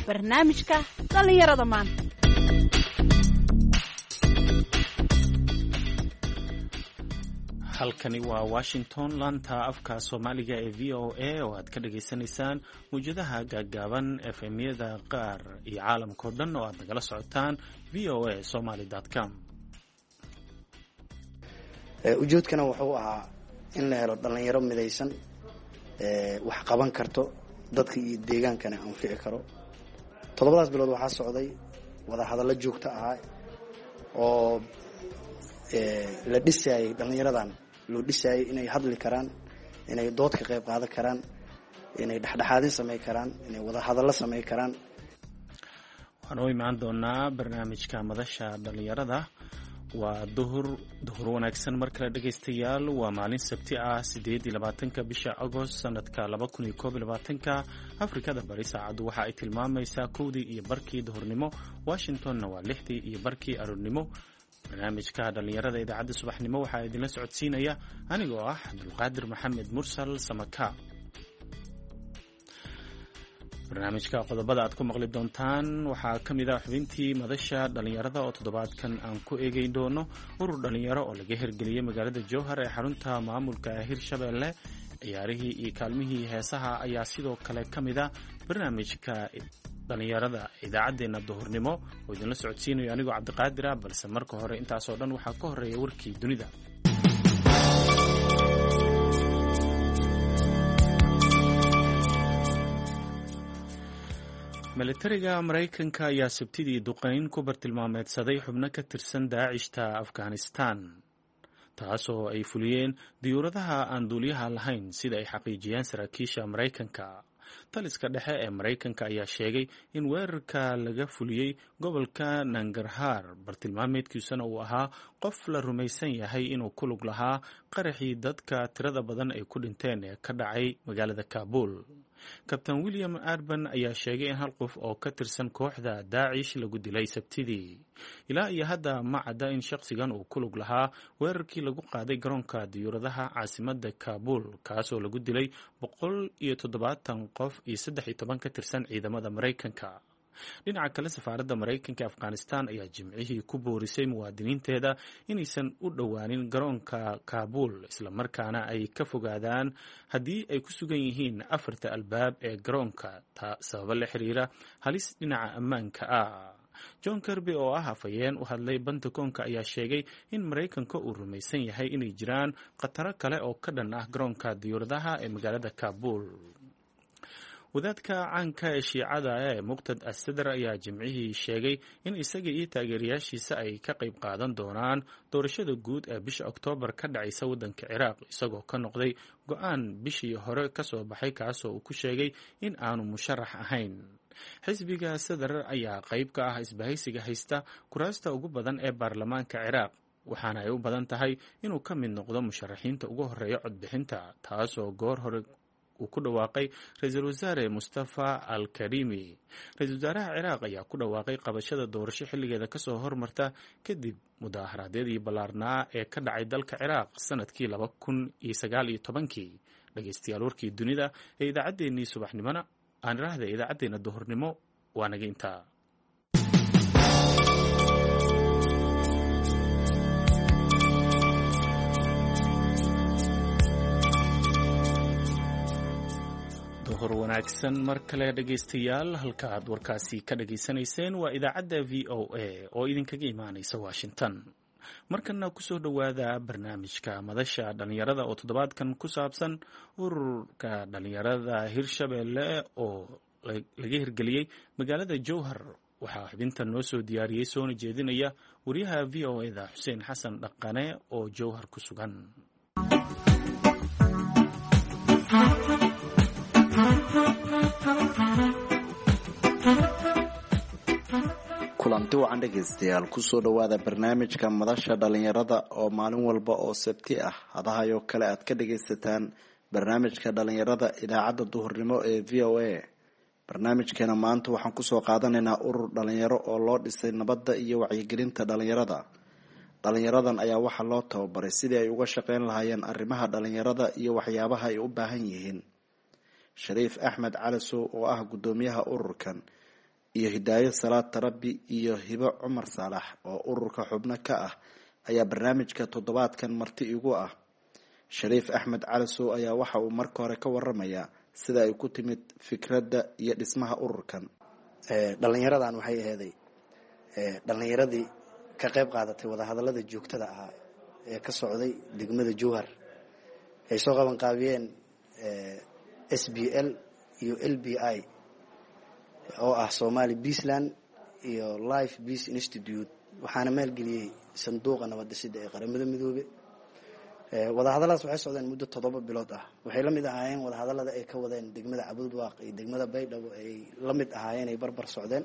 Barnaamijka dhallinyarada maanta. Halkani waa Washington, laanta afka Soomaaliga ee VOA oo aad ka dhagaysanaysaan mawjadaha gaaggaaban, FM-yada qaar iyo caalamkao dhan oo aad nagala socotaan voasomaly.com. Ujeedkana wuxuu ahaa in la helo dhallinyaro midaysan, wax qaban karto, dadka iyo deegaankana anfici karo. 7daas bilood waxaa socday wadahadallo joogto ahaa oo la dhisaayay dhallinyaradan, loo dhisaayay inay hadli karaan, inay dood ka qayb qaadan karaan, inay dhexdhexaadin samey karaan, inay wadahadallo samey karaan. Waxaan u imaan doonaa barnaamijka madasha dhallinyarada. Waa duhur, duhur wanaagsan mar kale dhegaystayaal. Waa maalin Sabti ah, 28-ka bisha Agost sanadka 2021-ka. Afrikada Bari saacaddu waxa ay tilmaamaysaa 1:30 duhurnimo, Washingtonna waa 6:30 aroornimo. Barnaamijka dhallinyarada idaacadda subaxnimo waxaa idinla socodsiinaya anigoo ah Cabdulqaadir Maxamed Mursal Samaka. Barnaamijka qodobada aad ku maqli doontaan waxaa ka mid ah xubintii madasha dhallinyarada oo toddobaadkan aan ku eegeyn doono urur dhallinyaro oo laga hirgeliyey magaalada Jowhar ee xarunta maamulka Hirshabelle. Ciyaarihii iyo kaalmihii heesaha ayaa sidoo kale ka mid ah barnaamijka dhallinyarada idaacaddeenna duhurnimo oo idinla socodsiinayo anigoo Cabdiqaadir ah. Balse marka hore intaasoo dhan waxaa ka horeeya warkii dunida. Militariga Maraykanka ayaa Sabtidii duqeyn ku bartilmaameedsaday xubno ka tirsan Daacishta Afghanistan, taasoo ay fuliyeen diyuuradaha aan duuliyaha lahayn, sida ay xaqiijiyeen saraakiisha Maraykanka. Taliska dhexe ee Maraykanka ayaa sheegay in weerarka laga fuliyey gobolka Nangarhaar, bartilmaameedkiisuna uu ahaa qof la rumaysan yahay inuu ku lug lahaa qaraxii dadka tirada badan ay ku dhinteen ee ka dhacay magaalada Kaabul. Kabtan William Arban ayaa sheegay in hal qof oo ka tirsan kooxda Daacish lagu dilay Sabtidii. Ilaa iyo hadda ma cadda in shakhsigan uu ku lug lahaa weerarkii lagu qaaday garoonka diyuuradaha caasimada Kaabul, kaasoo lagu dilay 170 qof iyo 13 ka tirsan ciidamada Maraykanka. Dhinaca kale, safaaradda Maraykanka ee Afghanistan ayaa Jimcihii ku boorisay muwaadiniinteeda inaysan u dhowaanin garoonka Kaabuul, islamarkaana ay ka fogaadaan haddii ay ku sugan yihiin afarta albaab ee garoonka, sababo la xiriira halis dhinaca ammaanka ah. John Kirby oo ah afhayeen u hadlay Pentagonka ayaa sheegay in Maraykanka uu rumaysan yahay inay jiraan khataro kale oo ka dhan ah garoonka diyuuradaha ee magaalada Kaabuul. Wadaadka caanka ee Shiicada ee Muqtad Assadar ayaa Jimcihii sheegay in isaga iyo taageerayaashiisa ay ka qayb qaadan doonaan doorashada guud ee bisha Oktoobar ka dhacaysa waddanka Ciraaq, isagoo ka noqday go-aan bishii hore kasoo baxay, kaasoo uu ku sheegay in aanu musharax ahayn. Xisbiga Sadar ayaa qayb ka ah isbahaysiga haysta kuraasta ugu badan ee baarlamaanka Ciraaq, waxaana ay u badan tahay inuu ka mid noqdo musharaxiinta ugu horeeya codbixinta, taasoo goor hore uu ku dhawaaqay ra-iisul wasaare Mustafa Al Karimi. Ra-isul wasaaraha Ciraaq ayaa ku dhawaaqay qabashada doorasho xilligeeda kasoo hormarta kadib mudaaharaadyadii ballaarnaa ee ka dhacay dalka Ciraaq sanadkii 2019-kii. Dhegeystayaal, warkii dunida ee idaacaddeenii subaxnimona, aan iraahda idaacaddeenna duhurnimo, waa naga intaa. Duhur wanaagsan mar kale dhegaystayaal. Halka aad warkaasi ka dhageysanayseen waa idaacadda VOA oo idinkaga imaanaysa Washington. Markana kusoo dhowaada barnaamijka madasha dhallinyarada oo toddobaadkan ku saabsan ururka dhallinyarada Hirshabelle oo laga hirgeliyey magaalada Jowhar. Waxaa xubinta noo soo diyaariyey soona jeedinaya wariyaha VOA da Xuseen Xasan Dhaqane oo Jowhar ku sugan. Kulanti wacan dhegaystayaal, kusoo dhowaada barnaamijka madasha dhalinyarada oo maalin walba oo Sabti ah hadahayoo kale aad ka dhagaysataan barnaamijka dhalinyarada idaacadda duhurnimo ee VOA. Barnaamijkeena maanta waxaan kusoo qaadanaynaa urur dhalinyaro oo loo dhisay nabadda iyo wacyigelinta dhalinyarada. Dhalinyaradan ayaa waxaa loo tababaray sidii ay uga shaqeyn lahaayeen arrimaha dhalinyarada iyo waxyaabaha ay u baahan yihiin. Shariif Axmed Cali Sow oo ah guddoomiyaha ururkan iyo Hidaayo Salaad Tarabi iyo Hibo Cumar Saalax oo ururka xubno ka ah ayaa barnaamijka toddobaadkan marti igu ah. Shariif Axmed Calasow ayaa waxa uu marka hore ka waramayaa sida ay ku timid fikradda iyo dhismaha ururkan. Dhalinyaradan waxay aheeday dhalinyaradii ka qayb qaadatay wadahadalada joogtada ahaa ee ka socday degmada Jowhar, ay soo qaban qaabiyeen SBL iyo LBI oo ah Somali Peaceland iyo Life Peace Institute, waxaana maalgeliyey sanduuqa nabad dhisidda ee Qaramada Midoobe. Wadahadalladaas waxay socdeen muddo 7 bilood ah. Waxay la mid ahaayeen wadahadallada ay ka wadeen degmada Cabudwaaq iyo degmada Baydhabo, ay la mid ahaayeen, ay barbar socdeen.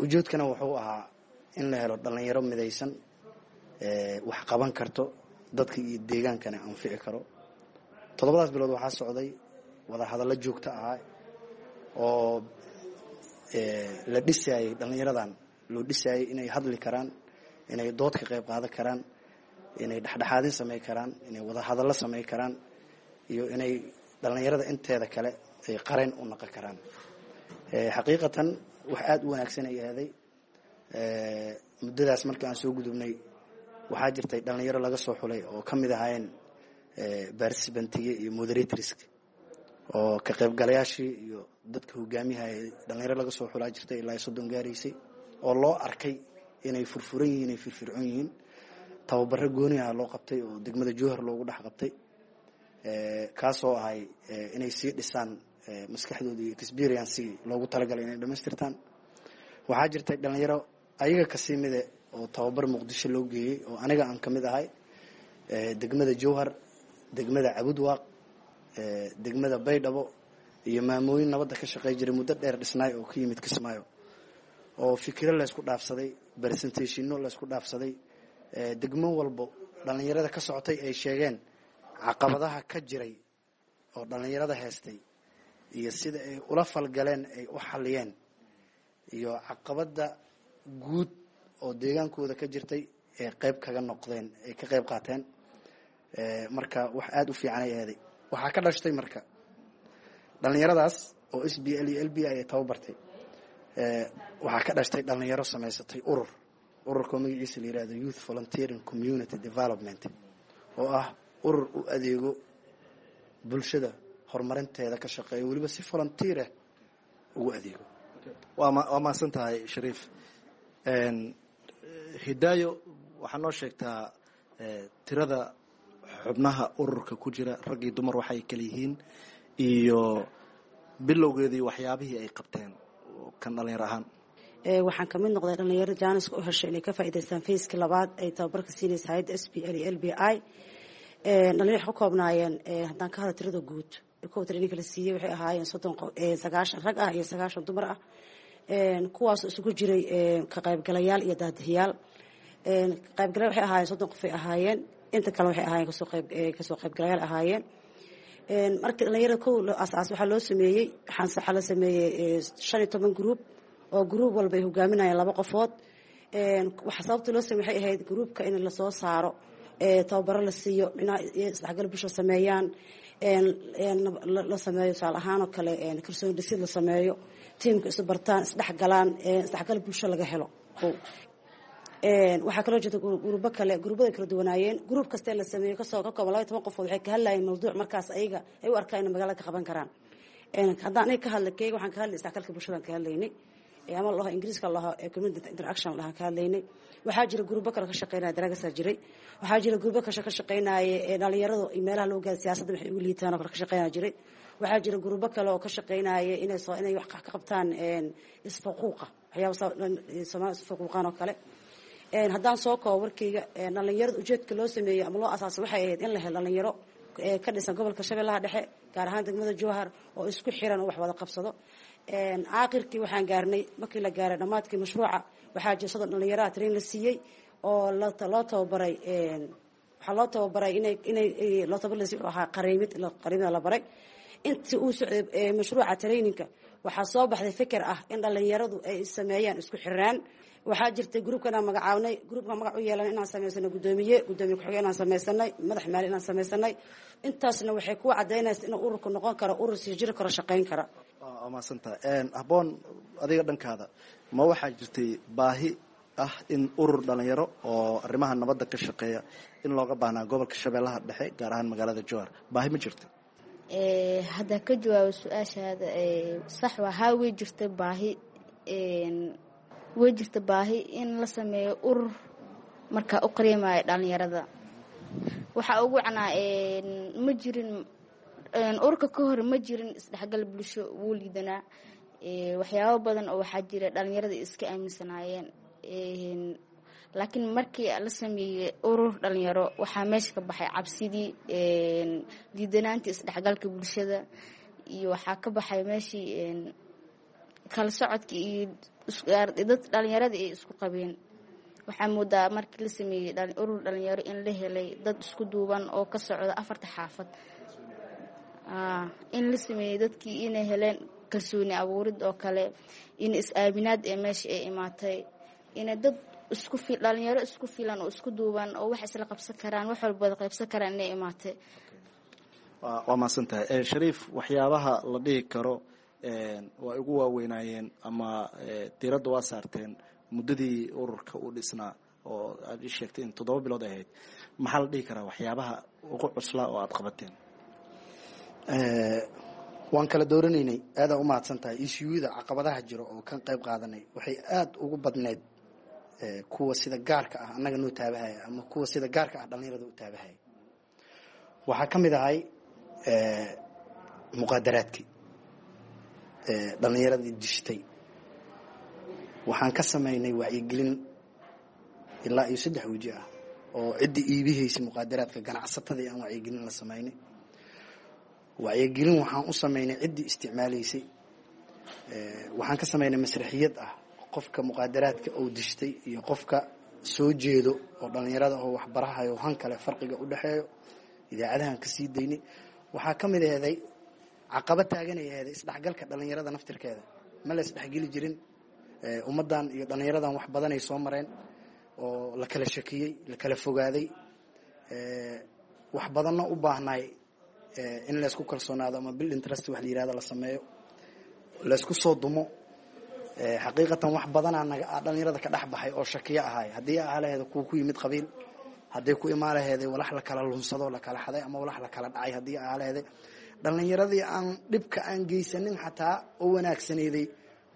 Ujeedkana wuxuu ahaa in la helo dhalinyaro midaysan, wax qaban karto, dadka iyo deegaankana anfici karo. 7daas bilood waxaa socday wadahadallo joogto ahaa oo la dhisaayey dhalinyaradan, loo dhisaayey inay hadli karaan, inay dood ka qayb qaadan karaan, inay dhexdhexaadin samey karaan, inay wadahadallo samey karaan, iyo inay dhalinyarada inteeda kale ay qareen u naqon karaan. Xaqiiqatan wax aada u wanaagsan ay ahaaday. Muddadaas markii aan soo gudubnay, waxaa jirtay dhalinyaro laga soo xulay oo ka mid ahaayeen participant-iga iyo moderatorska oo ka qaybgalayaashii iyo dadka hogaamiyaha. Dhalinyaro laga soo xulaa jirtay ilaa 30 gaaraysay oo loo arkay inay furfuran yihiin, ay firfircoon yihiin. Tababaro gooni ah loo qabtay oo degmada Jowhar loogu dhex qabtay, kaasoo ahay inay sii dhisaan maskaxdooda iyo experience-gii loogu talagalay inay dhamaystirtaan. Waxaa jirtay dhalinyaro ayaga kasii mide oo tababar Muqdisho loo geeyey oo aniga aan ka mid ahay, degmada Jowhar, degmada Cabudwaaq, degmada Baydhabo, iyo maamooyin nabadda ka shaqey jiray muddo dheer dhisnaay oo ka yimid Kismaayo, oo fikiro laysku dhaafsaday, presentation-no laysku dhaafsaday. Degmo walbo dhalinyarada ka socotay ay sheegeen caqabadaha ka jiray oo dhalinyarada heestay iyo sida ay ula falgaleen, ay u xaliyeen, iyo caqabada guud oo deegaankooda ka jirtay ee qayb kaga noqdeen, ay ka qayb qaateen. Marka wax aada u fiican ay aheeday. Waxaa ka dhashtay marka dhalinyaradaas oo SBL iyo LBI ay tababartay, waxaa ka dhashtay dhalinyaro samaysatay urur, ururkoo magaciisa la yihahdo Youth Volunteering Community Development, oo ah urur u adeego bulshada, horumarinteeda ka shaqeeyo, weliba si volunteer ah ugu adeego. Waa mahadsan tahay, Shariif. Hidaayo, waxaa noo sheegtaa tirada xubnaha ururka ku jira, rag iyo dumar waxay kala yihiin, iyo bilowgeedii waxyaabihii ay qabteen kan dhalinyar ahaan. Waxaan kamid noqday dhalinyaro chance-ka u heshay inay ka faa'iidaystaan phase-kii labaad ay tababarka siinaysa hayadda SBL iyo LBI. Dhalinyaro waxay ka koobnaayeen, haddaan ka hadla tirada guud kow training la siiyey, waxay ahaayeen 90 rag ah iyo 90 dumar ah, kuwaas isugu jiray ka qaybgalayaal iyo daadihiyaal. Ka qaybgalayaal waxay ahaayeen 30 qof ay ahaayeen, inta kale waxay ahaayeen kasoo qaybgalayaal ahaayeen. Markii dhalinyarada kow asaas waxaa loo sameeyey, waxaa la sameeyey 15 group oo group walba ay hogaaminayaan laba qofood. Waxa sababta loo sameeyey waxay ahayd group-ka in lasoo saaro, tababaro la siiyo, isdhexgal bulsho sameeyaan, la sameeyo tusaale ahaan oo kale kalsooni dhisid la sameeyo, team-ka isu bartaan, isdhexgalaan, isdhexgal bulsho laga helo. Kow waxaa kaloo jirta group-o kale, group-yada kala duwanaayeen. Group kastee la sameeyo kasoo ka kooban 12 qofood waxay ka hadlayeen mawduuc markaas ayaga ay u arkaan inay magaalada ka qaban karaan. Haddaan aniga ka hadla keyga, waxaan ka hadlay isdhexgalka bulshadan ka hadlaynay, ama laho Ingiriiska laho community interaction lahaan ka hadlaynay. Waxaa jira group-o kale ka shaqeynaya daragasaa jiray. Waxaa jira group-o kale ka shaqeynaya dhalinyaradu meelaha loo gaaro siyaasadda waxay ugu liitaan oo kale ka shaqeynaya jiray. Waxaa jira group-o kale oo ka shaqeynaya inay soo inay wax ka qabtaan isfaquuqa, waxyaaba Soomaali isfaquuqaan oo kale. Haddaan soo koobo warkeyga, dhalinyarada ujeedka loo sameeyey ama loo asaasay waxay ahayd in la helo dhalinyaro ka dhisan gobolka Shabeellaha Dhexe, gaar ahaan degmada Jowhar, oo isku xiran oo wax wada qabsado. Aakhirkii waxaan gaarnay, markii la gaaray dhammaadkii mashruuca, waxaa jira 30 dhalinyaraha train la siiyey oo loo tababaray. Waxaa loo tababaray inay loo tababar la siiyey wuxuu ahaa qareymid, qareymida la baray. Intii uu socday mashruuca training-ka waxaa soo baxday fikir ah in dhalinyaradu ay sameeyaan isku xiraan. Waxaa jirtay group-kan aan magacaabnay, group-ka magac u yeelan inaan samaysano guddoomiye, guddoomiye ku-xigeen inaan samaysanay, madax maali inaan samaysanay. Intaasna waxay ku cadaynaysa inuu ururku noqon karo urur sii jiri karo, shaqayn kara. Waa Waa mahadsantahay. Habboon, adiga dhankaada ma waxaa jirtay baahi ah in urur dhalinyaro oo arrimaha nabadda ka shaqeeya in looga baahnaa gobolka Shabeellaha Dhexe, gaar ahaan magaalada Jowhar? Baahi ma jirta? Haddaan ka jawaabo su-aashaada, sax waa haa, way jirta baahi, way jirta baahi in la sameeyo urur markaa u qariimaayo dhalinyarada. Waxaa ugu wacnaa ma jirin ururka ka hor, ma jirin isdhexgal bulsho, wuu liidanaa. Waxyaabo badan oo waxaa jira dhalinyarada iska aaminsanaayeen, laakiin markii la sameeyey urur dhalinyaro waxaa meesha ka baxay cabsidii, liidanaantii isdhexgalka bulshada, iyo waxaa ka baxay meeshii kala socodkii iyo dad dhalinyarada ay isku qabeen. Waxaa moodaa markii la sameeyey urur dhalinyaro in la helay dad isku duuban oo ka socda afarta xaafad, in la sameeyey dadkii inay heleen kalsooni abuurid oo kale, in is-aaminaad ee meesha ay imaatay, inay dad isku dhalinyaro isku filan oo isku duuban oo wax isla qabsan karaan, wax walba wada qaybsan karaan inay imaatay. Waa mahadsan tahay, Shariif. Waxyaabaha la dhihi karo waa igu waaweynaayeen ama diiradda waa saarteen muddadii ururka uu dhisnaa oo aad ii sheegtay in 7 bilood ay ahayd, maxaa la dhihi karaa waxyaabaha ugu cuslaa oo aada qabateen? Waan kala dooranaynay. Aadaa u mahadsan tahay. Issueyada caqabadaha jiro oo kan qayb qaadanay waxay aada ugu badneyd kuwa sida gaarka ah annaga noo taabahaya ama kuwa sida gaarka ah dhalinyarada u taabahaya. Waxaa ka mid ahay muqaadaraadkii dhalinyaradii dishtay. Waxaan ka samaynay wacyigelin ilaa iyo 3 weji ah oo ciddii iibihaysay muqaadaraadka, ganacsatadii aan wacyigelin la samaynay. Wacyigelin waxaan u samaynay ciddii isticmaalaysay. Waxaan ka samaynay masraxiyad ah qofka muqaadaraadka uu dishtay iyo qofka soo jeedo oo dhalinyarada oo waxbarahayo han kale farqiga u dhexeeyo, idaacadahan ka sii daynay. Waxaa ka mid aheeday caqabad taaganay aheeday isdhexgalka dhalinyarada naftirkeeda. Ma la isdhexgeli jirin. Ummaddan iyo dhalinyaradan wax badanay soo mareen oo la kala shakiyey, la kala fogaaday, wax badanna u baahnaay in laysku kalsoonaado ama building trust wax la yihahdo la sameeyo, laysku soo dumo. Xaqiiqatan wax badanaa naga dhalinyarada ka dhex baxay oo shakiyo ahaay, haddii ahaa laheeda kuwa ku yimid qabiil, hadday ku imaan laheeday walax la kala lunsado, la kala xaday ama walax la kala dhacay, haddii ahaa laheeday dhalinyaradii aan dhibka aan geysanin xataa oo wanaagsaneeday,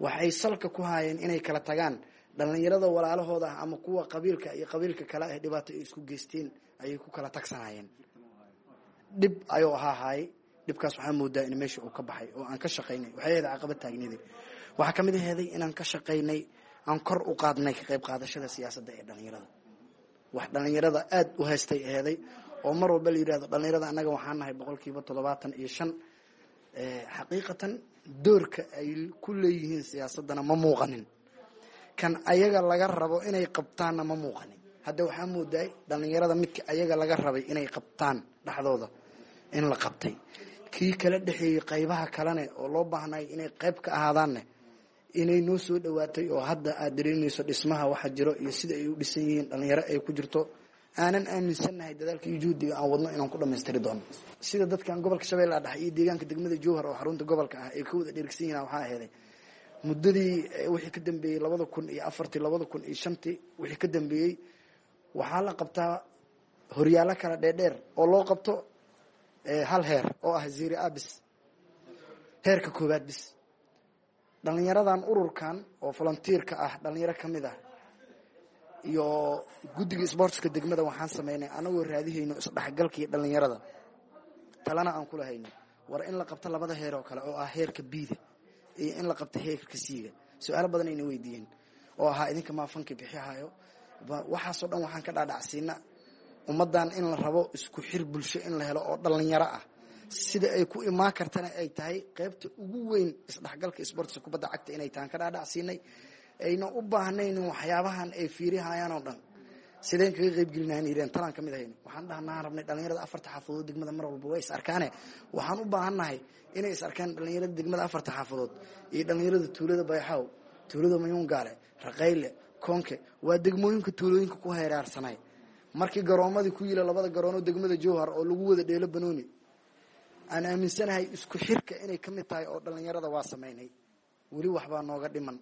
waxay salka ku haayeen inay kala tagaan dhalinyarada walaalahooda ah ama kuwa qabiilka iyo qabiilka kale ah dhibaato ay isku geysteen ayay ku kala tagsanayeen. Dhib ayuu ahaa haayay. Dhibkaas waxaa moodaa in meesha uu ka baxay oo aan ka shaqaynay. Waxay ahayd caqabad taagneeday. Waxaa ka mid aheeday inaan ka shaqaynay, aan kor u qaadnay ka qayb qaadashada siyaasadda ee dhalinyarada. Wax dhalinyarada aada u haystay aheeday oo mar walba la yidhahdo dhalinyarada annaga waxaan nahay 75%. Xaqiiqatan doorka ay ku leeyihiin siyaasaddana ma muuqanin, kan ayaga laga rabo inay qabtaanna ma muuqanin. Hadda waxaa moodaay dhalinyarada midka ayaga laga rabay inay qabtaan dhexdooda in la qabtay, kii kala dhexeeyey qaybaha kalene oo loo baahnay inay qayb ka ahaadaanne inay noo soo dhowaatay, oo hadda aad dareemayso dhismaha waxa jiro iyo sida ay u dhisan yihiin, dhalinyaro ay ku jirto. Aanan aaminsannahay dadaalka iyo juhdiga aan wadno inaan ku dhamaystiri doono. Sida dadkan gobolka Shabeellaha Dhexe iyo deegaanka degmada Jowhar oo xarunta gobolka ah ay ka wada dheergsan yihiin, waxaa aheeday muddadii wixii ka dambeeyey 2004-tii, 2005-tii wixii ka dambeeyey, waxaa la qabtaa horyaallo kala dheerdheer oo loo qabto hal heer oo ah Serie A bis, heerka koowaad bis. Dhalinyaradan ururkan oo volunteerka ah, dhalinyaro ka mid ah iyo guddiga sportska degmada, waxaan sameynay anagoo raadihayno isdhexgalkii dhalinyarada, talana aan kula hayno war in la qabto labada heer oo kale oo ah heerka B-da iyo in la qabto heerka C-ga. Su-aalo badan ayna weydiiyeen oo ahaa idinka maa fanki bixihayo? Waxaasoo dhan waxaan ka dhaadhacsiina ummaddan in la rabo isku xir bulsho in la helo oo dhalinyaro ah, sida ay ku imaan kartana ay tahay qaybta ugu weyn isdhexgalka sportska kubadda cagta inay tahan ka dhaadhacsiinay, ayna u baahnayn waxyaabahan ay fiirihayaan oo dhan. Sideen kaga qaybgelinahan yireen talaan ka mid ahayn. Waxaan dhahnaa rabnay dhalinyarada afarta xaafadood degmada mar walba way is arkaane, waxaan u baahannahay inay is arkaan dhalinyarada degmada afarta xaafadood iyo dhalinyarada tuulada Bayxaw, tuulada Mayuungaale, Raqayle, Koonke, waa degmooyinka tuulooyinka ku heeraarsanay. Markii garoomadii ku yila labada garoonoo degmada Jowhar oo lagu wada dheelo banooni. Aan aaminsanahay isku xirka inay ka mid tahay oo dhallinyarada waa samaynay. Weli waxbaa nooga dhiman.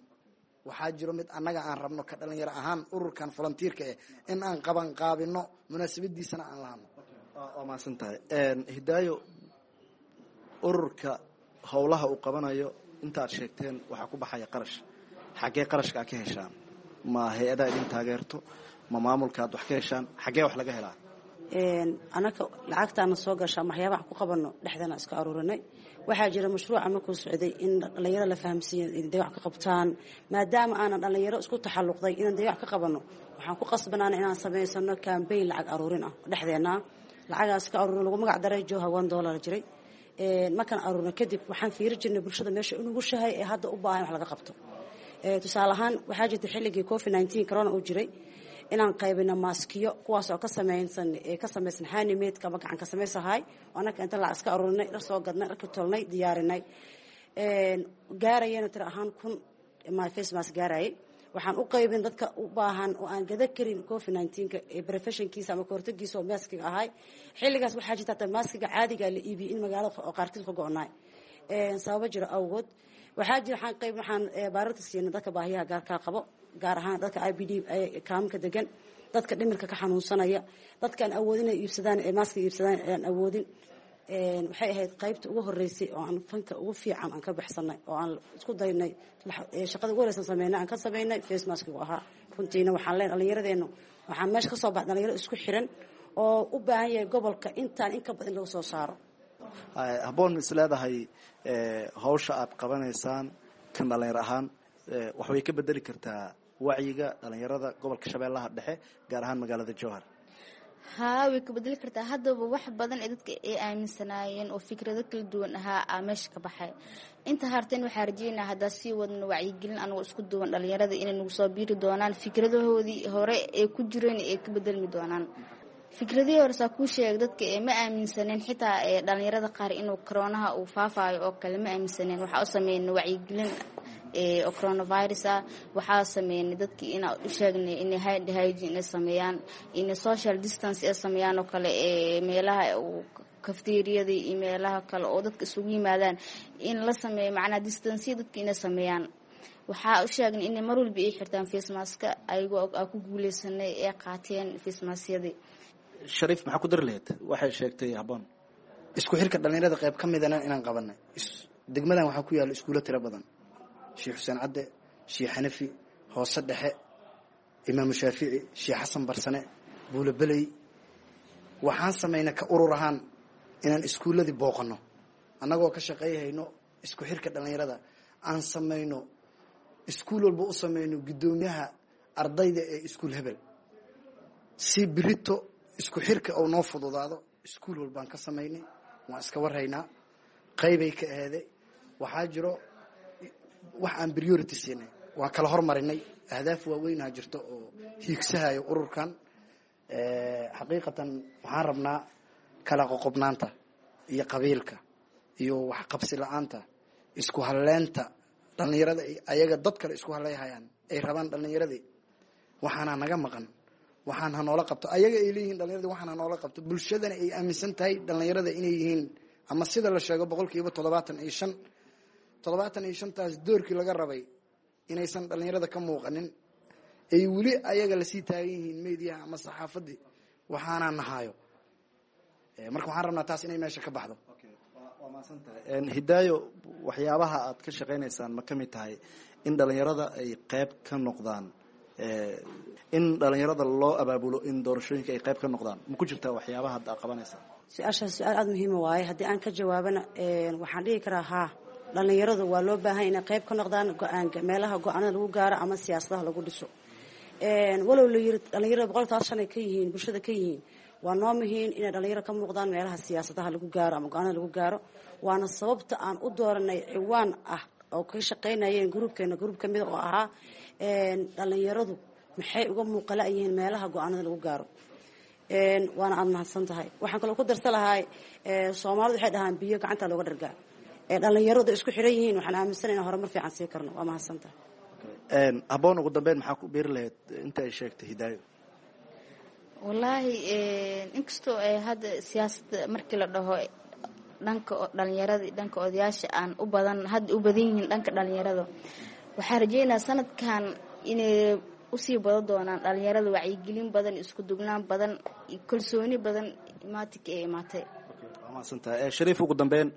Waxaa jiro mid annaga aan rabno ka dhalinyaro ahaan ururkan volunteerka eh in aan qaban qaabino, munaasabadiisana aan lahano. Waa mahadsan tahay, Hidaayo. Ururka howlaha uu qabanayo inta aad sheegteen waxaa ku baxaya qarash. Xaggee qarashka aad ka heshaan? Ma hay-adaa idin taageerto? Ma maamulka aad wax ka heshaan? Xaggee wax laga helaa? Anaka lacagtaana soo gasha ama waxyaabaha ku qabano dhexdana iska aruurinay. Waxaa jira mashruuca markuu socday in dhalinyaro la fahamsiiyo inay dayac ka qabtaan, maadaama aanan dhalinyaro isku taxalluqday inaan dayac ka qabano, waxaan ku qasbanaana inaan samaysano campaign lacag aruurin ah dhexdeena. Lacagaas ka aruurin lagu magac daray Joha $1 jiray. Markaan aruurno kadib, waxaan fiiri jirnay bulshada meesha inugushahay ee hadda u baahan wax laga qabto. Tusaale ahaan, waxaa jirta xilligii COVID-19 corona uu jiray inaan qaybino maaskiyo, kuwaas oo ka samaysan handmade ama gacan ka samaysahay. Anaka inta lacag iska aruurinay, dhar soo gadnay, dharka tolnay, diyaarinay, gaarayana tiro ahaan 1000 face mask gaarayay. Waxaan u qaybin dadka u baahan oo aan gada karin COVID-19-ka preventionkiisa ama kahortagiisa oo maaskiga ahay. Xilligaas waxaa jirta hataa maaskiga caadiga la iibiyey in magaalada oo qaarkiis ka go-naay sababo jiro awgood. Waxaa jira waxaan qayb waxaan baararta siinay dadka baahiyaha gaarkaa qabo, gaar ahaan dadka IPD kaamka degan, dadka dhimirka ka xanuunsanaya, dadkaan awoodin inay iibsadaan ee maaska iibsadaan aan awoodin. Waxay ahayd qaybta ugu horeysay oo aan fanka ugu fiican aan ka baxsanay oo aan isku daynay shaqada ugu horeysan sameynay aan ka sameynay face maskigu ahaa. Runtiina waxaan leenahay dhallinyaradeennu, waxaan meesha ka soo baxay dhalinyaro isku xiran oo u baahan yahay gobolka intaan in ka badan laga soo saaro. Habboon ma is leedahay hawsha aad qabanaysaan kan dhalinyar ahaan wax way ka bedeli kartaa wacyiga dhalinyarada gobolka Shabeellaha Dhexe, gaar ahaan magaalada Jowhar? Haa, way ka bedeli kartaa. Haddaba wax badan ee dadka ay aaminsanaayeen oo fikrado kala duwan ahaa aa meesha ka baxay. Inta harteen waxaa rajeynaa haddaa sii wadno wacyigelin anagoo isku duwan dhalinyarada inay nagu soo biiri doonaan, fikradahoodii hore ee ku jireen ay ka bedelmi doonaan. Fikradihii hore saa kuu sheega, dadka ee ma aaminsaneen xitaa ee dhalinyarada qaar inuu coroonaha uu faafayo oo kale ma aaminsaneen. Waxaa u sameynay wacyigelin oo coronavirus ah. Waxaa sameynay dadkii inaa u sheegnay inay hand hygiene inay sameeyaan, inay social distance ay sameeyaan oo kale, ee meelaha kafteeriyada iyo meelaha kale oo dadka isugu yimaadaan in la sameeyo, macnaha distancya dadka inay sameeyaan. Waxaa u sheegnay inay mar walba ay xirtaan face maska, ayagoo aa ku guuleysanay ee qaateen face maskyadii. Shariif, maxaa ku dari lahayd waxay sheegtay Habboon? Isku xirka dhallinyarada qayb ka midana inaan qabanay. Degmadan waxaa ku yaalla iskuulo tiro badan: Sheekh Xuseen Cadde, Sheekh Xanafi, Hoose Dhexe, Imaamu Shaafici, Sheekh Xasan Barsane, Buulabeley. Waxaan samaynay ka urur ahaan inaan iskuulladii booqanno, annagoo ka shaqayhayno isku xirka dhallinyarada. Aan samayno iskuul walba u samayno guddoomiyaha ardayda ee iskuul hebel, si birito isku xirka oo noo fududaado. Iskuul walbaan ka samaynay, waan iska warhaynaa, qaybay ka aheeday. Waxaa jiro wax aan priority siinay, waa kala hormarinay. Ahdaaf waaweynaa jirto oo hiigsahayo ururkan. Xaqiiqatan waxaan rabnaa kala qoqobnaanta iyo qabiilka iyo waxqabsi la-aanta, isku halleynta dhallinyarada ayaga dad kale isku haleyhayaan, ay rabaan dhallinyaradii waxaana naga maqan, waxaan hanoola qabto ayaga ay leeyihiin dhallinyaradi, waxaan hanoola qabto. Bulshadana ay aaminsan tahay dhallinyarada inay yihiin, ama sida la sheego, 75%. 75-taas doorkii laga rabay inaysan dhallinyarada ka muuqanin, ay weli ayaga lasii taagan yihiin mediaha ama saxaafadii waxaanaa nahaayo. Marka waxaan rabnaa taas inay meesha ka baxdo. Waa mahadsan tahay, Hidaayo. Waxyaabaha aad ka shaqaynaysaan ma ka mid tahay in dhalinyarada ay qayb ka noqdaan, in dhalinyarada loo abaabulo in doorashooyinka ay qayb ka noqdaan? Ma ku jirtaa waxyaabaha hadda aad qabanaysaan? Su-aashaas su-aal aada muhiima waaye. Haddii aan ka jawaabana, waxaan dhihi karaa haa, dhallinyaradu waa loo baahan inay qayb ka noqdaan go-aanka, meelaha go-aanada lagu gaaro ama siyaasadaha lagu dhiso. Walow la yiri dhalinyarada 75% ay ka yihiin bulshada ka yihiin, waa noo muhiim inay dhalinyaro ka muuqdaan meelaha siyaasadaha lagu gaaro ama go-aanada lagu gaaro. Waana sababta aan u dooranay ciwaan ah oo ka shaqaynayeen gruubkeena, gruub ka mida oo ahaa dhalinyaradu maxay uga muuqala yihiin meelaha go-aanada lagu gaaro. Waana aada mahadsan tahay. Waxaan kaloo ku darsa lahaa, Soomaalidu waxay dhahaan biyo gacanta looga dhargaa. Dhalinyaradu isku xiran yihiin, waxaan aaminsanay inaan horumar fiican sii karno. Waa mahadsan tahay. Habboon, ugu dambeyn maxaa ku biiri lahayd inta ay sheegtay Hidaayo? Wallaahi, inkastoo ay hadda siyaasadda markii la dhaho Dhanka dhalinyarada iyo dhanka odayaasha aan u badan hadda u badan yihiin dhanka dhalinyarada. Waxaan rajeynayaa sanadkan inay usii badan doonaan dhalinyarada, wacyigelin badan, isku dugnaan badan, kalsooni badan imaatinka ee imaatay. Waa mahadsantahay Shariif. Ugu dambeyn,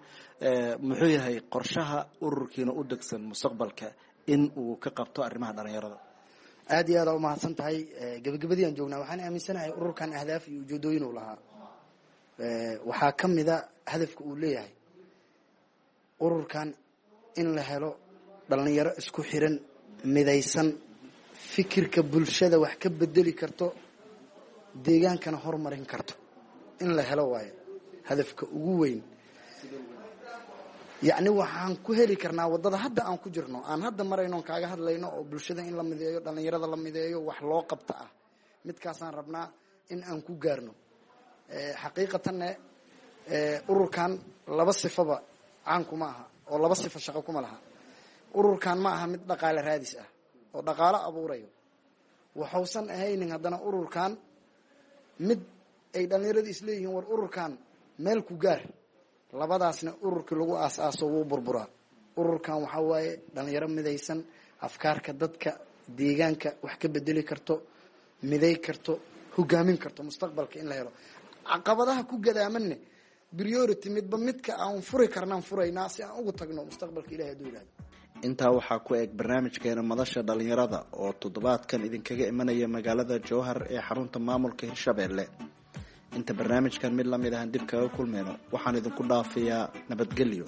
muxuu yahay qorshaha ururkiina u degsan mustaqbalka in uu ka qabto arrimaha dhalinyarada? Aad iyo aad aa umahadsan tahay. Gabagabadii aan joognaa. Waxaan aaminsanahay ururkan ahdaaf iyo ujeedooyin uu lahaa. Waxaa ka mida hadafka uu leeyahay ururkan in la helo dhalinyaro isku xiran, midaysan, fikirka bulshada wax ka bedeli karto, deegaankana horumarin karto in la helo waayo hadafka ugu weyn. Yacni waxaan ku heli karnaa waddada hadda aan ku jirno, aan hadda marayno, on kaaga hadlayno, oo bulshada in la mideeyo, dhalinyarada la mideeyo, wax loo qabta ah. Midkaasaan rabnaa in aan ku gaarno. Xaqiiqatanne ururkan laba sifaba caan kuma aha, oo laba sifo shaqo kuma laha. Ururkan ma aha mid dhaqaale raadis ah oo dhaqaalo abuurayo. Waxuusan ahaynin haddana ururkan mid ay dhalinyaradu isleeyihiin war ururkan meel ku gaar. Labadaasna ururkii lagu aas-aaso wuu burburaa. Ururkan waxaa waaye dhalinyaro midaysan, afkaarka dadka deegaanka wax ka bedeli karto, miday karto, hogaamin karto mustaqbalka in la helo. Caqabadaha ku gadaamanne priority midba midka aan furi karnaan furaynaa si aan ugu tagno mustaqbalka, Ilahay hadduu yidhahdo. Intaa waxaa ku eg barnaamijkeena Madasha Dhalinyarada oo toddobaadkan idinkaga imanaya magaalada Jowhar ee xarunta maamulka Hirshabelle. Inta barnaamijkan mid lamid ahan dib kaga kulmayno, waxaan idinku dhaafayaa nabadgelyo.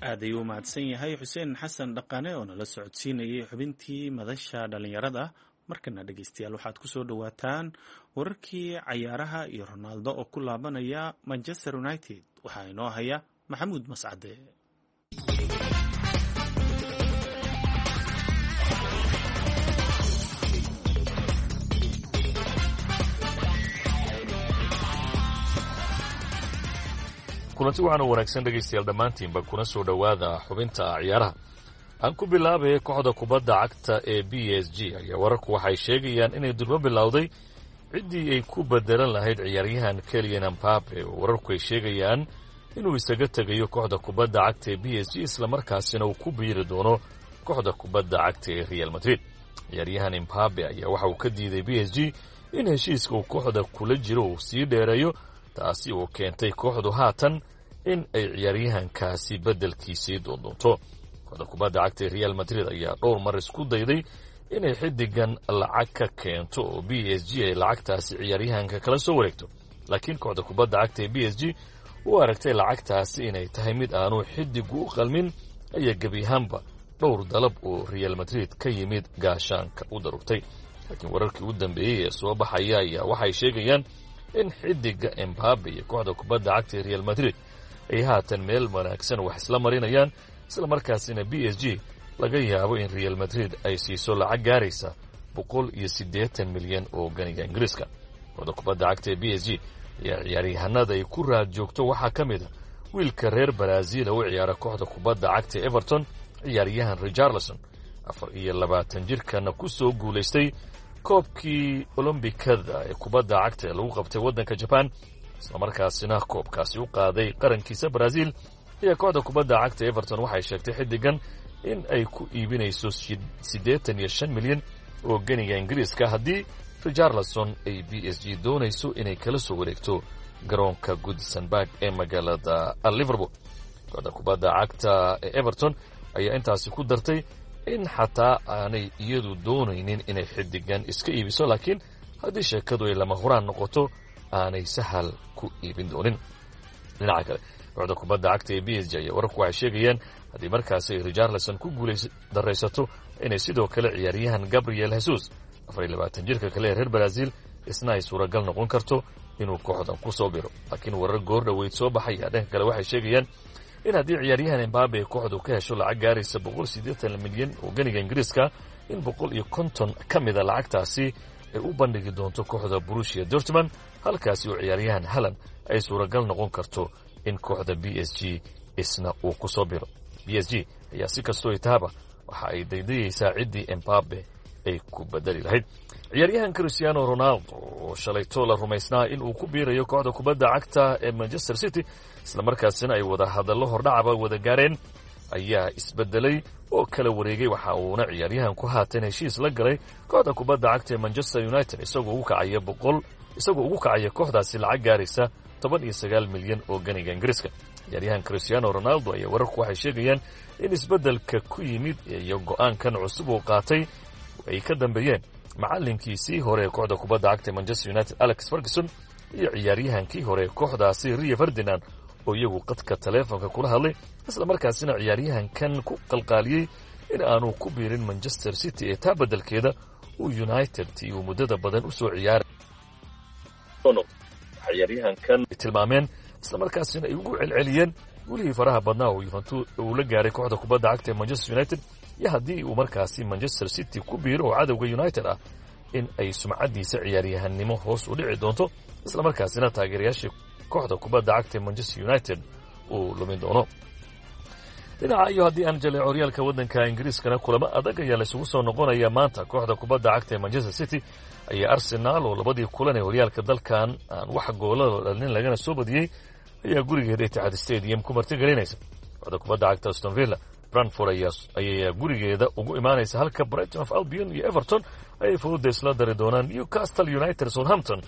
Aad ayuu u mahadsan yahay Xuseen Xasan Dhaqane oo nala socodsiinayay xubintii Madasha Dhalinyarada. Markana dhegeystayaal, waxaad ku soo dhowaataan wararkii cayaaraha iyo Ronaldo oo ku laabanaya Manchester United. Waxaa inoo haya Maxamuud Mascade. Kulanti waxaana wanaagsan dhegaystayaal dhammaantiinba, kuna soo dhowaada xubinta ciyaaraha. Aan ku bilaabaya kooxda kubadda cagta ee PSG ayaa wararku waxay sheegayaan inay durbo bilowday ciddii ay ku bedelan lahayd ciyaaryahan Kylian Mbappe, oo wararku ay sheegayaan inuu isaga tegayo kooxda kubadda cagta ee PSG, islamarkaasina uu ku biiri doono kooxda kubadda cagta ee Real Madrid. Ciyaaryahan Mbappe ayaa waxa uu ka diiday PSG in heshiiska uu kooxda kula jiro uu sii dheereeyo, taasi oo keentay kooxdu haatan in ay ciyaaryahankaasi beddelkiisii doondoonto. Kooxda kubadda cagta ee Real Madrid ayaa dhowr mar isku dayday inay xiddigan lacag ka keento oo PSG ay lacagtaasi ciyaaryahanka kala soo wareegto, laakiin kooxda kubadda cagta ee PSG u aragtay lacagtaasi inay tahay mid aanu xiddigu u qalmin ayaa gebi ahaanba dhowr dalab oo Real Madrid ka yimid gaashaanka u darugtay. Laakiin wararkii u dambeeyey ee soo baxaya ayaa waxay sheegayaan in xiddiga Mbappe iyo kooxda kubadda cagta ee Real Madrid ay haatan meel wanaagsan wax isla marinayaan, isla markaasina PSG laga yaabo in Real Madrid ay siiso lacag gaaraysa 180 milyan oo ganiga Ingiriiska. Kooxda kubadda cagta ee PSG ayaa ciyaaryahanada ay ku raad joogto waxaa ka mid a wiilka reer Brazil u ciyaara kooxda kubadda cagta ee Everton, ciyaaryahan Richarlison, 24 jirkana ku soo guulaystay koobkii Olombikada ee kubadda cagta ee lagu qabtay waddanka Jaban, islamarkaasina koobkaasi u qaaday qarankiisa Brazil. Ayaa kooxda kubadda cagta Everton waxay sheegtay xiddigan in ay ku iibinayso 85 milyan oo ganiga Ingiriiska haddii Richarlison ay PSG doonayso inay kala soo wareegto garoonka Goodison Park ee magaalada Liverpool. Kooxda kubadda cagta ee Everton ayaa intaasi ku dartay in xataa aanay iyadu doonaynin inay xiddigan iska iibiso, laakiin haddii sheekadu ay lama huraan noqoto aanay sahal ku iibin doonin. Dhinaca kale, kooxda kubadda cagta ee PSG ayaa wararku waxay sheegayaan haddii markaasi ay Richarlison ku guulays daraysato inay sidoo kale ciyaaryahan Gabriel Jesus, 24 jirka kale ee reer Brazil, isna ay suuragal noqon karto inuu kooxdan ku soo biro. Laakiin warar goor dhoweyd soo baxaya dhanka kale waxay sheegayaan in haddii ciyaaryahan Mbappe ay kooxdu ka hesho lacag gaaraysa 180 milyan oo ganiga Ingiriiska, in 150 ka mida lacagtaasi ay u bandhigi doonto kooxda Borussia Dortmund, halkaasi oo ciyaaryahan Haaland ay suuragal noqon karto in kooxda PSG isna uu ku soo biro. PSG ayaa si kastoo tahaba waxa ay daydayaysaa ciddii Mbappe ay ku bedeli lahayd. Ciyaaryahan Cristiano Ronaldo oo shalayto la rumaysnaa in uu ku biirayo kooxda kubadda cagta ee Manchester City, islamarkaasina ay wada hadallo hordhacaba wada gaareen, ayaa isbedelay oo kala wareegay. Waxa uuna ciyaaryahanku haatan heshiis la galay kooxda kubadda cagta ee Manchester United, isagoo ugu kacaya boqol isagoo ugu kacaya kooxdaasi lacag gaaraysa 19 milyan oo ganiga Ingiriiska. Ciyaaryahan Cristiano Ronaldo ayaa wararku waxay sheegayaan in isbeddelka ku yimid iyo go'aankan cusub uu qaatay ay ka dambeeyeen macallinkiisii hore ee kooxda kubadda cagta ee Manchester United Alex Ferguson iyo ciyaaryahankii hore ee kooxdaasi Rio Ferdinand, oo iyagu qadka taleefonka kula hadlay, isla markaasina ciyaaryahankan ku qalqaaliyey in aanu ku biirin Manchester City ee taa beddelkeeda uu United tii uu muddada badan usoo ciyaaray. Ciyaaryahankan tilmaameen isla markaasina ay ugu celceliyeen gulihii faraha badnaa oo Juventus uu la gaaray kooxda kubadda cagta ee Manchester United, iyo haddii uu markaasi Manchester City ku biiro oo cadowga United ah in ay sumcaddiisa ciyaaryahanimo hoos u dhici doonto, isla markaasina taageerayaashii kooxda kubadda cagta ee Manchester United uu lumin doono. Dhinaca iyo haddii aan jaleeco horyaalka waddanka Ingiriiskana, kulamo adag ayaa laysugu soo noqonaya maanta. Kooxda kubadda cagta ee Manchester City ayaa Arsenal oo labadii kulan ee horyaalka dalkan aan wax goolada dhalin lagana soo badiyey ayaa gurigeeda Etihad Stadium ku martigelinaysa. Kooxda kubadda cagta Aston Villa Brentford ayaa gurigeeda ugu imaanaysa, halka Brighton of Albion iyo Everton ayay fowda isla dari doonaan. Newcastle United Southampton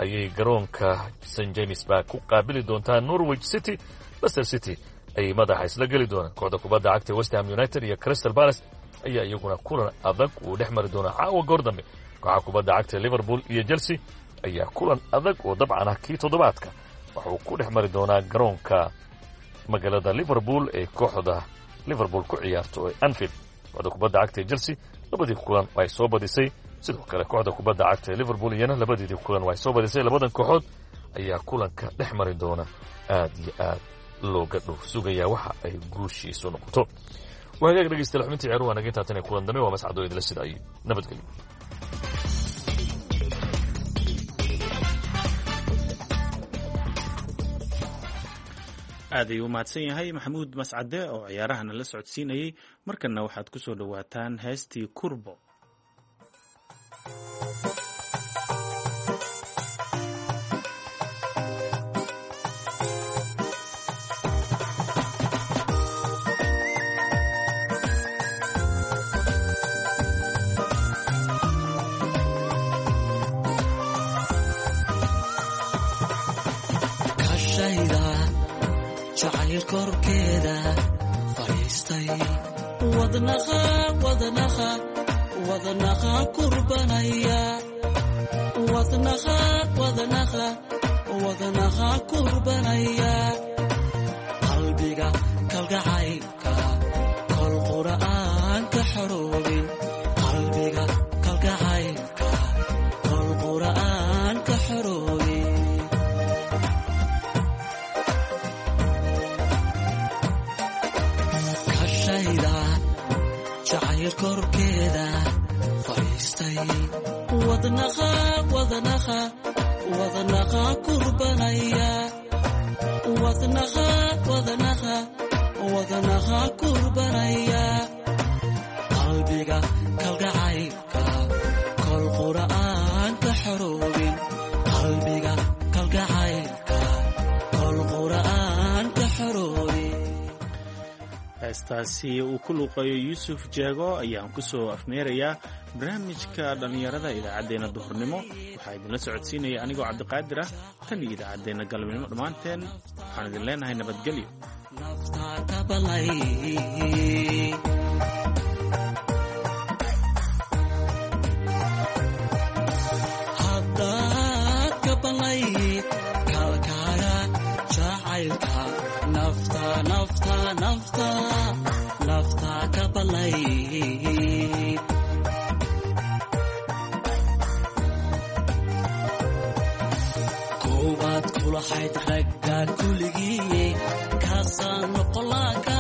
ayay garoonka St James Park ku qaabili doontaan. Norwich City Leicester City ayay madaxa isla geli doonaan. Kooxda kubadda cagta West Ham United iyo Crystal Palace ayaa iyaguna kulan adag uu dhex mari doonaa caawa goor dambe. Kooxa kubadda cagta Liverpool iyo Chelsea ayaa kulan adag oo dabcan ah kii toddobaadka waxuu ku dhex mari doonaa garoonka magaalada Liverpool ee kooxda Liverpool ku ciyaarto ee Anfield. Kooxda kubadda cagta ee Chelsea labadii kulan ay soo badisay, sidoo kale kooxda kubadda cagta ee Liverpool iyana labadeedii kulan ay soo badisay. Labadan kooxood ayaa kulanka dhex mari doona aad iyo aad looga dhow sugayaa waxa ay guushiisu noqoto. Waa hagaag dhegeystayaal, xubintii ciyaaruhu waa naga intaa. Tan iyo kulan dambe, waa mascadoo idila sida ay nabadgelyo. Aad ayuu u mahadsan yahay Maxamuud Mascade oo ciyaarahana la socodsiinayey. Markanna waxaad ku soo dhowaataan heestii Kurbo. Kashayda jacayl korkeeda fadhiistay, wadnaha wadnaha wadnaha kurbanaya, wadnaha wadnaha wadnaha kurbanaya, qalbiga kalgacaylka kol qura'aan ka xoroobin, qalbiga kalgacaylka kol qura'aan ka xoroobin. Kashayda jacayl korkeeda fadhiistay, wadnaha wadnaha wadnaha kurbanaya, wadnaha wadnaha wadnaha kurbanaya, qalbiga kalgacaylka kol qura'aan ka xoroobin, qalbiga kalgacaylka kol qura'aan ka xoroobin. Heestaasi uu ku luuqeeyo Yuusuf Jeego ayaan ku soo afmeerayaa barnaamijka dhallinyarada idaacaddeenna duhurnimo. Waxaa idinla socodsiinaya anigoo Cabdiqaadir ah. Tan iyo idaacaddeenna galabnimo, dhammaanteen waxaan idin leenahay nabadgelyo. Nafta kabalay. Haddaad kabalay kalkaaga jacaylka, nafta nafta nafta nafta kabalay. Koowaad kulahayd ragga kuligii, kaasaan noqolaa.